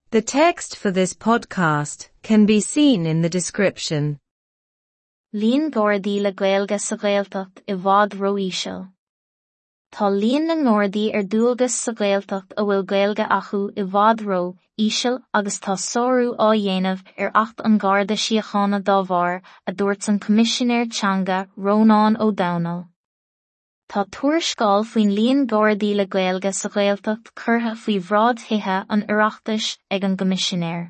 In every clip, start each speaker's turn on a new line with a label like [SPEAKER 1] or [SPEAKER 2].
[SPEAKER 1] The text for this podcast can be seen in the description.
[SPEAKER 2] Líon Gardaí le Gaeilge sa Ghaeltacht i bhfad ró-íseal. Tá líon na nGardaí ar dualgas sa Ghaeltacht a bhfuil Gaeilge acu i bhfad ró íseal agus tá sárú á dhéanamh ar Acht an Gharda Síochána dá bharr, a dúirt an Coimisinéir Teanga Rónán Ó Domhnaill. Tá tuarascáil faoin líon Gardaí le Gaeilge sa Ghaeltacht curtha faoi bhráid Thithe an Oireachtais ag an gCoimisinéir.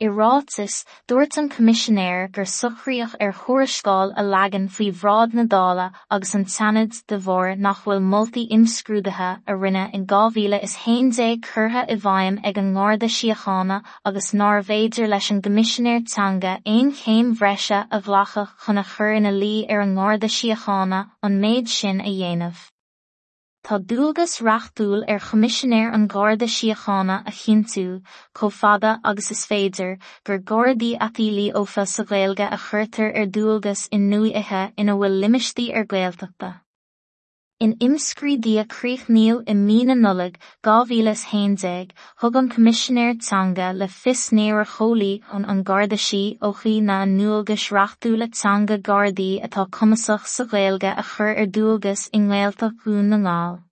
[SPEAKER 2] I ráiteas, dúirt an Coimisinéir gur socraíodh ar thuarascáil a leagan faoi bhráid na Dála agus an tSeanaid de bharr nach bhfuil moltaí imscrúdaithe a rinneadh in 2011 curtha i bhfeidhm ag an nGarda Síochána agus nárbh fhéidir leis an gCoimisinéir Teanga aon chéim bhreise a ghlacadh chun a chur ina luí ar an nGarda Síochána an méid sin a dhéanamh. Tá dualgas reachtúil ar Choimisinéir an Gharda Síochána a chinntiú, chomh fada agus is féidir, gur Gardaí atá líofa sa Ghaeilge a chuirtear ar dualgas i ndúiche ina bhfuil limistéir Ghaeltachta. In imscrúdú a críochnaíodh i mí na Nollag 2011, thug an Coimisinéir Teanga le fios nár chomhlíon an Garda Síochána a ndualgais reachtúla teanga Gardaí atá cumasach sa Ghaeilge a chur ar dualgas i nGaeltacht Dhún na nGall.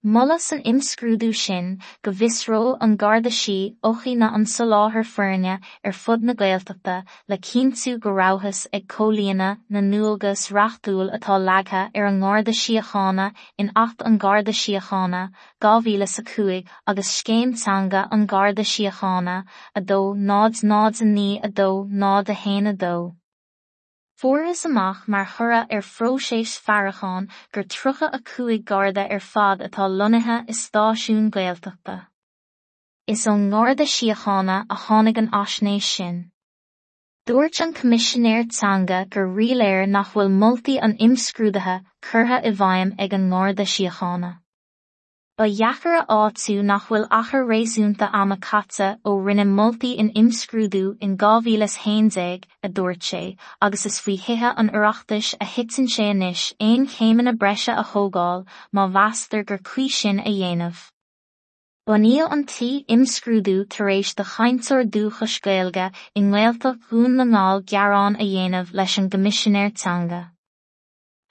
[SPEAKER 2] Moladh san imscrúdú sin go bhfiosródh an Garda Síochána an soláthar foirne ar fud na Gaeltachta le cinntiú go rabhthas ag comhlíonadh na ndualgas reachtúil atá leagtha ar an nGarda Síochána in Acht an Gharda Síochána, 2005 agus Scéim Teanga an Gharda Síochána, 2 0 0 9 2 0 1 2. Fuarthas amach mar thoradh ar phróiseas faireacháin gur 35 Garda ar fad atá lonnaithe i stáisiún Gaeltachta. Is ón nGarda Síochána a tháinig an fhaisnéis sin. Dúirt an Coimisinéir Teanga gur ríléir nach bhfuil moltaí an imscrúdaithe curtha i bhfeidhm ag an nGarda Síochána. Ba dheacair a áitiú nach bhfuil achar réasúnta ama caite ó rinneadh moltaí in imscrúdú in 2011, a dúirt sé, agus is faoi Thithe an Oireachtais a thiteann sé anois aon chéimeanna breise a thógáil má mheastar gur cuí sin a dhéanamh. Bunaíodh an t-imscrúdú tar éis do chainteoir dúchais Gaeilge i nGaeltacht Dhún na nGall gearán a dhéanamh leis an gCoimisinéir Teanga.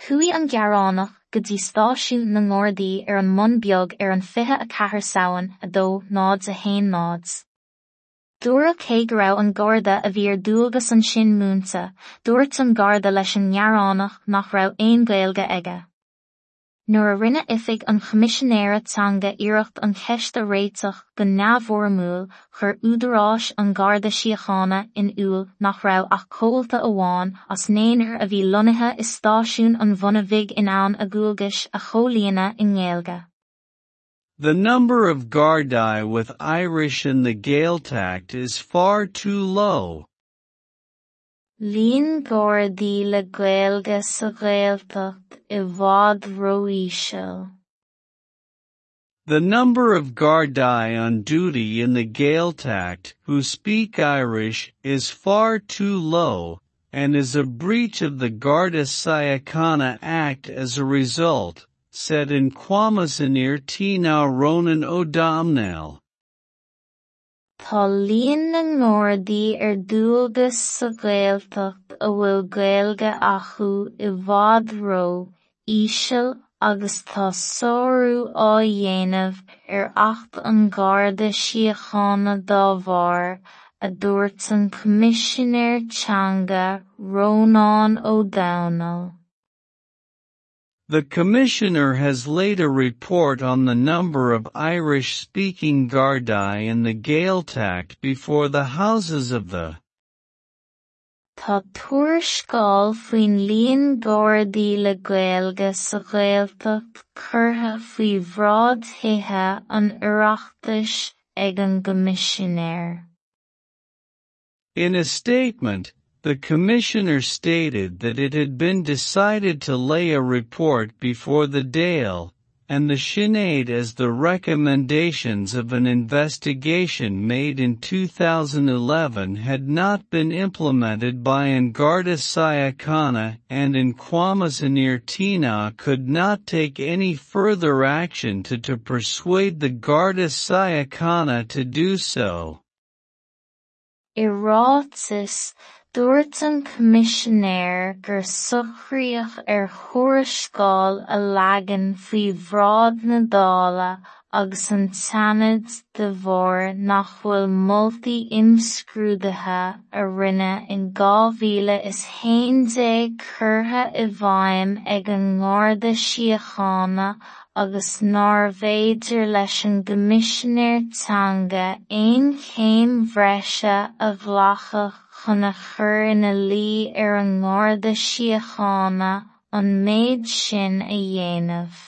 [SPEAKER 2] Chuaigh an gearánach go dtí stáisiún na nGardaí ar an mBun Beag ar an 24 Samhain 2 0 1 0. Dúradh cé go raibh an Garda a bhí ar dualgas ansin múinte, dúirt an Garda leis an ngearánach nach raibh aon Ghaeilge aige. Nuair a rinne Oifig an Choimisinéara Teanga iarracht an cheist a réiteach go neamhfhoirmiúil, chuir údaráis an Gharda Síochána in iúl nach raibh ach comhalta amháin as naonúr a bhí lonnaithe i stáisiún an Bhuna Bhig in ann a ndualgais a chomhlíonadh i nGaeilge.
[SPEAKER 3] The number of Gardaí with Irish in the Gaeltacht is far too low.
[SPEAKER 2] Líon Gardaí le Gaeilge sa Ghaeltacht i bhfad ró-íseal.
[SPEAKER 3] The number of Gardaí on duty in the Gaeltacht who speak Irish is far too low, and is a breach of the Garda Síochána Act as a result, said an Coimisinéir Teanga Rónán Ó Domhnaill.
[SPEAKER 2] Tá líon na nGardaí ar dualgas sa Ghaeltacht a bhfuil Gaeilge acu i bhfad ró-íseal agus tá sárú á dhéanamh ar Acht an Gharda Síochána dá bharr, a dúirt an Coimisinéir Teanga Rónán Ó Domhnaill.
[SPEAKER 3] The Commissioner has laid a report on the number of Irish-speaking Gardaí in the Gaeltacht before the houses of the
[SPEAKER 2] Tá tuarascáil faoin líon Gardaí le Gaeilge sa Ghaeltacht curtha faoi bhráid Thithe an Oireachtais ag an gCoimisinéir.
[SPEAKER 3] In a statement, the Commissioner stated that it had been decided to lay a report before the Dáil and the Seanad as the recommendations of an investigation made in 2011 had not been implemented by An Garda Síochána and An Coimisinéir Teanga could not take any further action to persuade the Garda Síochána to do so.
[SPEAKER 2] I ráiteas, dúirt an Coimisinéir gur socraíodh ar thuarascáil a leagan faoi bhráid na Dála agus an tSeanaid de bharr nach bhfuil moltaí imscrúdaithe a rinneadh in 2011 curtha i bhfeidhm ag an nGarda Síochána agus nárbh fhéidir leis an gCoimisinéir Teanga aon chéim bhreise a ghlacadh chun a chur ina luí ar an nGarda Síochána an méid sin a dhéanamh.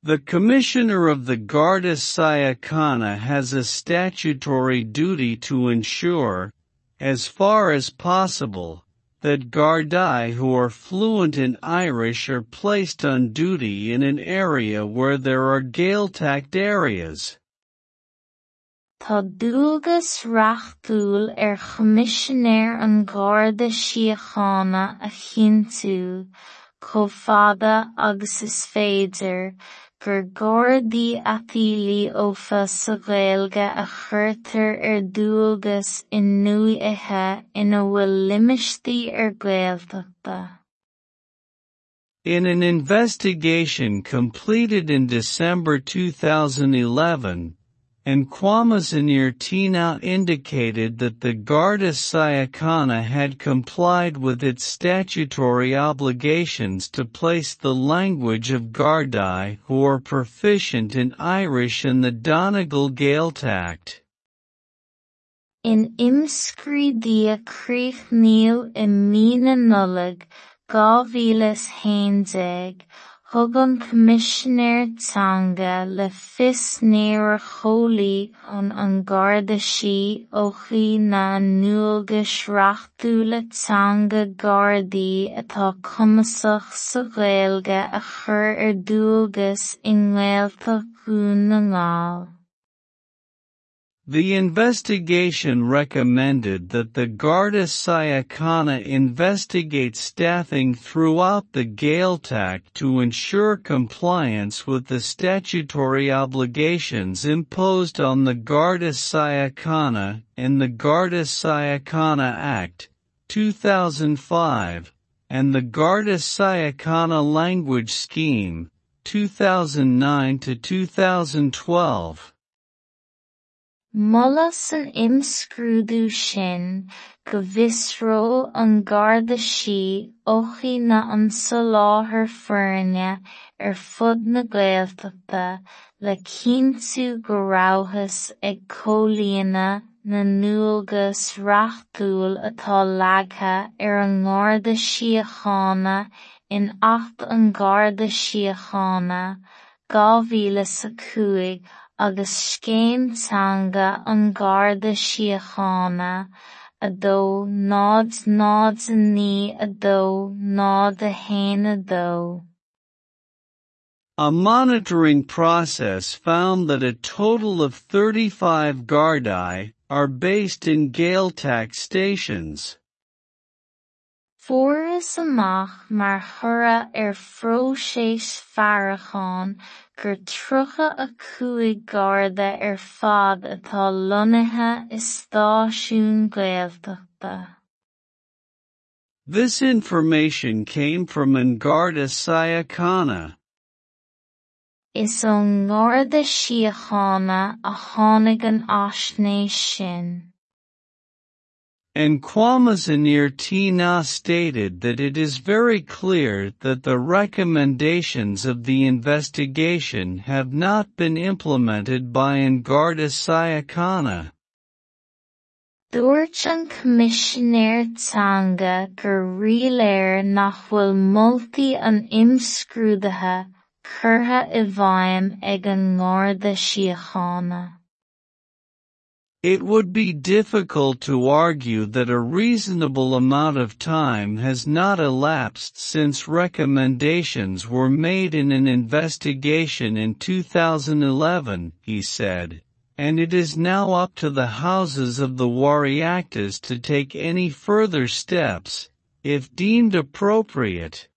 [SPEAKER 3] The Commissioner of the Garda Síochána has a statutory duty to ensure, as far as possible, that Gardaí who are fluent in Irish are placed on duty in an area where there are Gaeltacht areas.
[SPEAKER 2] Tá dualgas reachtúil ar Choimisinéir an Gharda Síochána a chinntiú, chomh fada agus is féidir, gur Gardaí atá líofa sa Ghaeilge a chuirtear ar dualgas i ndúiche ina bhfuil limistéir Ghaeltachta.
[SPEAKER 3] In an investigation completed in December 2011, An Coimisinéir Teanga indicated that the Garda Síochána had complied with its statutory obligations to place the language of Gardaí who are proficient in Irish in the Donegal Gaeltacht.
[SPEAKER 2] In imscrúdú a críochnaíodh i mí na Nollag 2011, thug an Coimisinéir Teanga le fios níor chomhlíon an Garda Síochána na ndualgais reachtúla teanga Gardaí atá cumasach sa Ghaeilge a chur ar dualgas i nGaeltacht Dhún na nGall.
[SPEAKER 3] The investigation recommended that the Garda Síochána investigate staffing throughout the Gaeltacht to ensure compliance with the statutory obligations imposed on the Garda Síochána in the Garda Síochána Act, 2005, and the Garda Síochána Language Scheme, 2009 to 2012.
[SPEAKER 2] Moladh san imscrúdú sin go bhfiosródh an Garda Síochána an soláthar foirne ar fud na Gaeltachta le cinntiú go rabhthas ag comhlíonadh na ndualgas reachtúil atá leagtha ar an nGarda Síochána in Acht an Gharda Síochána, 2005 agus Scéim Teanga an Gharda Síochána, 2 0 0 9 2 0 1 2.
[SPEAKER 3] A monitoring process found that a total of 35 Gardaí are based in Gaeltacht stations.
[SPEAKER 2] Fuarthas amach mar thoradh ar phróiseas faireacháin gur 35 Garda ar fad atá lonnaithe i stáisiúin Ghaeltachta.
[SPEAKER 3] This information came from An Garda Síochána.
[SPEAKER 2] Is ón nGarda Síochána a tháinig an fhaisnéis sin.
[SPEAKER 3] An Coimisinéir Teanga stated that it is very clear that the recommendations of the investigation have not been implemented by An Garda Síochána.
[SPEAKER 2] Dúirt an Coimisinéir Teanga gur ríléir nach bhfuil moltaí an imscrúdaithe curtha i bhfeidhm ag an nGarda Síochána.
[SPEAKER 3] It would be difficult to argue that a reasonable amount of time has not elapsed since recommendations were made in an investigation in 2011, he said, and it is now up to the houses of the Oireachtas to take any further steps, if deemed appropriate.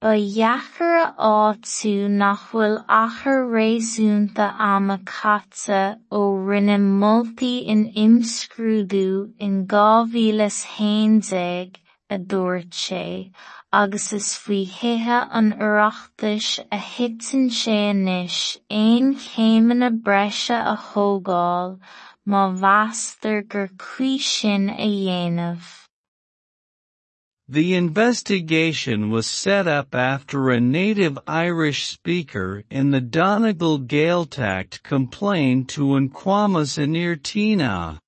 [SPEAKER 2] Ba dheacair a áitiú nach bhfuil achar réasúnta ama caite ó rinneadh moltaí in imscrúdú in 2011, a dúirt sé, agus is faoi Thithe an Oireachtais a thiteann sé anois aon chéimeanna breise a thógáil má mheastar gur cuí sin a dhéanamh.
[SPEAKER 3] The investigation was set up after a native Irish speaker in the Donegal Gaeltacht complained to an Coimisinéir Teanga.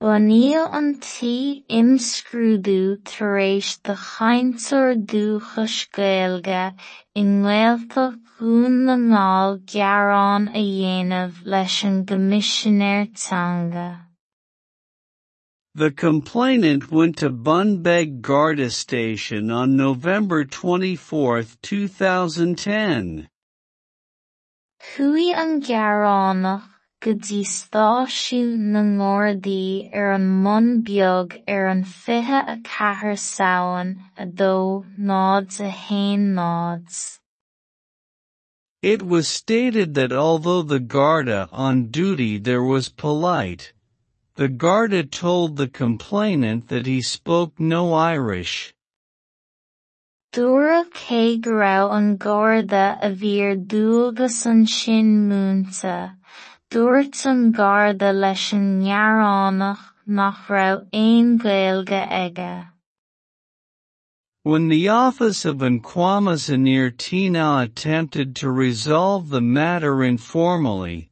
[SPEAKER 2] Bunaíodh an t-imscrúdú tar éis do chainteoir dúchais Gaeilge i nGaeltacht Dhún na nGall gearán a dhéanamh leis an gCoimisinéir Teanga.
[SPEAKER 3] The complainant went to Bunbeg Garda Station on November 24, 2010.
[SPEAKER 2] Chuaigh an gearánach go dtí stáisiún na nGardaí ar an mBun Beag ar an 24 Samhain 2 0 1 0.
[SPEAKER 3] It was stated that although the Garda on duty there was polite, the Garda told the complainant that he spoke no Irish.
[SPEAKER 2] Dúradh cé go raibh an Garda a bhí ar dualgas ansin múinte, dúirt an Garda leis an ngearánach nach raibh aon Ghaeilge aige.
[SPEAKER 3] When the office of an Coimisinéir Teanga attempted to resolve the matter informally,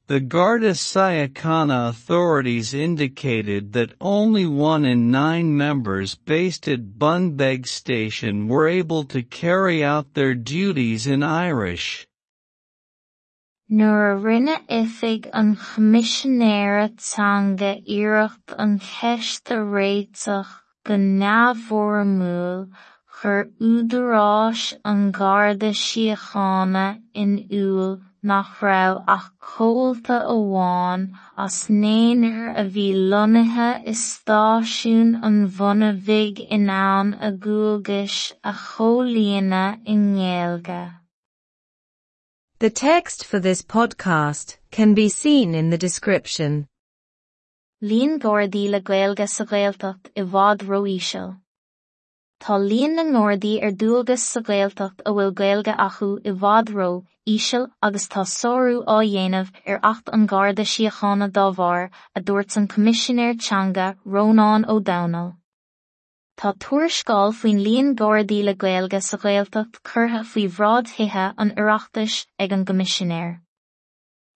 [SPEAKER 3] the Garda Síochána authorities indicated that only 1 in 9 members based at Bunbeg Station were able to carry out their duties in Irish.
[SPEAKER 2] Nuair a rinne Oifig an Choimisinéara Teanga iarracht an cheist a réiteach go neamhfhoirmiúil, chuir údaráis an Gharda Síochána in iúl nach raibh ach comhalta amháin as naonúr a bhí lonnaithe i stáisiún an Bhuna Bhig in ann a ndualgais a chomhlíonadh i nGaeilge.
[SPEAKER 1] The text for this podcast can be seen in the description.
[SPEAKER 2] Líon Gardaí le Gaeilge sa Ghaeltacht i bhfad ró-íseal. Tá líon na nGardaí ar dualgas sa Ghaeltacht a bhfuil Gaeilge acu i bhfad ró-íseal agus tá sárú á dhéanamh ar Acht an Gharda Síochána dá bharr, a dúirt an Coimisinéir Teanga, Rónán Ó Domhnaill. Tá tuarascáil faoin líon Gardaí le Gaeilge sa Ghaeltacht curtha faoi bhráid Thithe an Oireachtais ag an gCoimisinéir.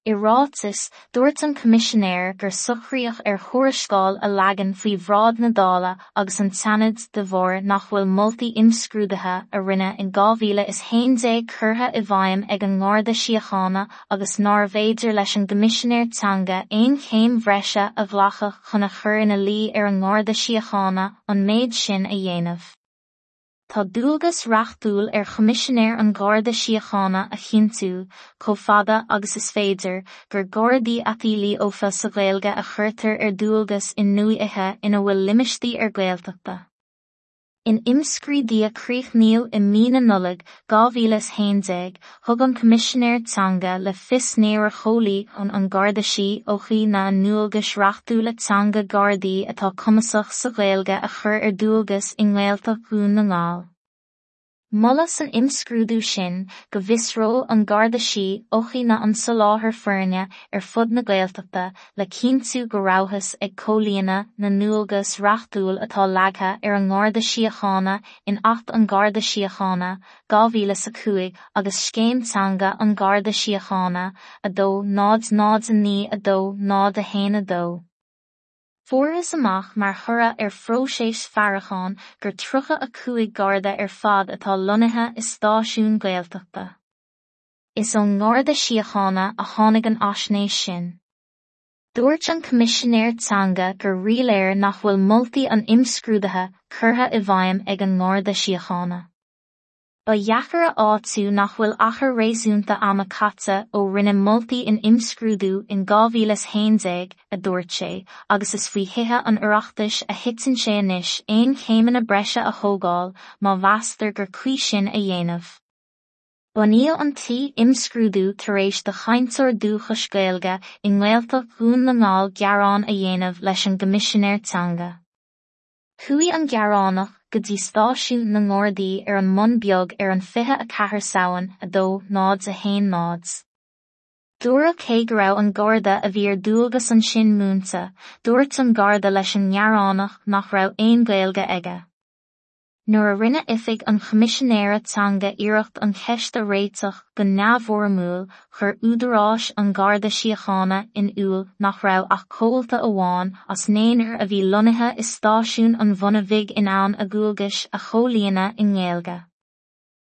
[SPEAKER 2] I ráiteas, dúirt an Coimisinéir gur socraíodh ar thuarascáil a leagan faoi bhráid na Dála agus an tSeanaid de bharr nach bhfuil moltaí imscrúdaithe a rinneadh in 2011 curtha i bhfeidhm ag an nGarda Síochána agus nárbh fhéidir leis an gCoimisinéir Teanga aon chéim bhreise a ghlacadh chun a chur ina luí ar an nGarda Síochána an méid sin a dhéanamh. Tá dualgas reachtúil ar Choimisinéir an Gharda Síochána a chinntiú, chomh fada agus is féidir, gur Gardaí atá líofa sa Ghaeilge a chuirtear ar dualgas i ndúiche ina bhfuil limistéir Ghaeltachta. In imscrúdú a críochnaíodh i mí na Nollag 2011, thug an Coimisinéir Teanga le fios nár chomhlíon an Garda Síochána a ndualgais reachtúla teanga Gardaí atá cumasach sa Ghaeilge a chur ar dualgas i nGaeltacht Dhún na nGall. Moladh san imscrúdú sin go bhfiosródh an Garda Síochána an soláthar foirne ar fud na Gaeltachta le cinntiú go rabhthas ag comhlíonadh na ndualgas reachtúil atá leagtha ar an nGarda Síochána in Acht an Gharda Síochána, 2005 agus Scéim Teanga an Gharda Síochána, 2 0 0 9 2 0 1 2. Fuarthas amach mar thoradh ar phróiseas faireacháin gur 35 Garda ar fad atá lonnaithe i stáisiún Gaeltachta. Is ón nGarda Síochána a tháinig an fhaisnéis sin. Dúirt an Coimisinéir Teanga gur ríléir nach bhfuil moltaí an imscrúdaithe curtha i bhfeidhm ag an nGarda Síochána. Ba dheacair a áitiú nach bhfuil achar réasúnta ama caite ó rinneadh moltaí in imscrúdú in 2011, a dúirt sé, agus is faoi Thithe an Oireachtais a thiteann sé anois aon chéimeanna breise a thógáil má mheastar gur cuí sin a dhéanamh. Bunaíodh an t-imscrúdú tar éis do chainteoir dúchais Gaeilge i nGaeltacht Dhún na nGall gearán a dhéanamh leis an gCoimisinéir Teanga. Chuaigh an gearánach go dtí stáisiún na nGardaí ar an mBun Beag ar an 24 Samhain 2 0 1 0. Dúradh cé go raibh an Garda a bhí ar dualgas ansin múinte, dúirt an Garda leis an ngearánach nach raibh aon Ghaeilge aige. Nuair a rinne Oifig an Choimisinéara Teanga iarracht an cheist a réiteach go neamhfhoirmiúil, chuir údaráis an Gharda Síochána in iúl nach raibh ach comhalta amháin as naonúr a bhí lonnaithe i stáisiún an Bhuna Bhig in ann a ndualgais a chomhlíonadh i nGaeilge.